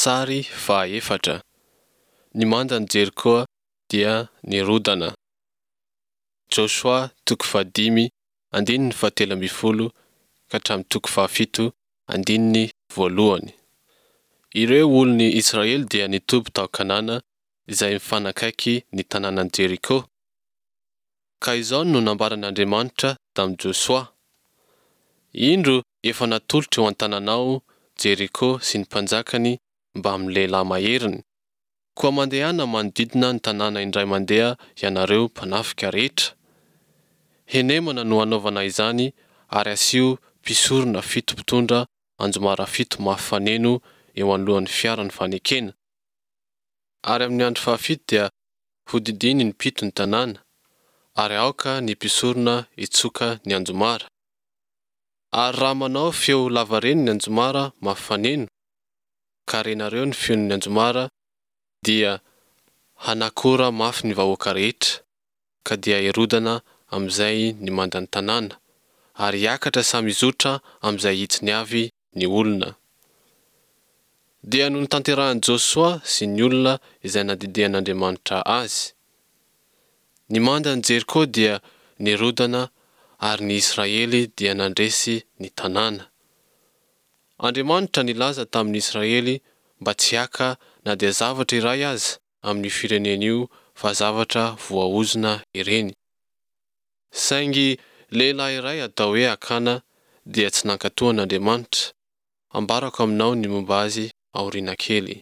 Sary fahaefatra, Ny mandan'i Jerikoa dia nirodana. Josoa toko fahadimy andininy fahatelo ambin'ny folo ka hatramin'ny toko fahafito andininy voalohany. Ireo olon'ny Israely dia nitoby tao Kanana izay mifanakaiky ny tanànan'i Jeriko. Ka izao no nambaran'Andriamanitra tamin'i Josoa, Indro efa natolotro eo an-tananao Jeriko sy ny mpanjakany mbamin'ny lehilahy maheriny. Koa mandehana manodidina ny tanàna indray mandeha ianareo mpanafika rehetra. Henemana no hanaovana izany ary asio mpisorona fito mpitondra anjomara fito mafy faneno eo anoloan'ny fiaran'ny fanekena. Ary amin'ny andro fahafito dia hodidino impito ny tanàna, ary aoka ny mpisorona hitsoka ny anjomara. Ary raha manao feo lavareny ny anjomara mafy faneno, ka renareo ny feon'ny anjomara, dia hanakora mafy ny vahoaka rehetra, ka dia hirodana amin'izay ny mandan'ny tanàna, ary hiakatra samy hizotra amin'izay hitsiny avy ny olona. Dia notanterahin'i Josoa sy ny olona izay nandidian'Andriamanitra azy. Ny mandan'i Jeriko dia nirodana ary ny Israely dia nandresy ny tanàna. Andriamanitra nilaza tamin'ny Israely mba tsy haka na dia zavatra iray aza amin'io firenena io fa zavatra voaozona ireny. Saingy lehilahy iray atao hoe Akana dia tsy nankatò an'Andriamanitra. Ambarako aminao ny momba azy aoriana kely.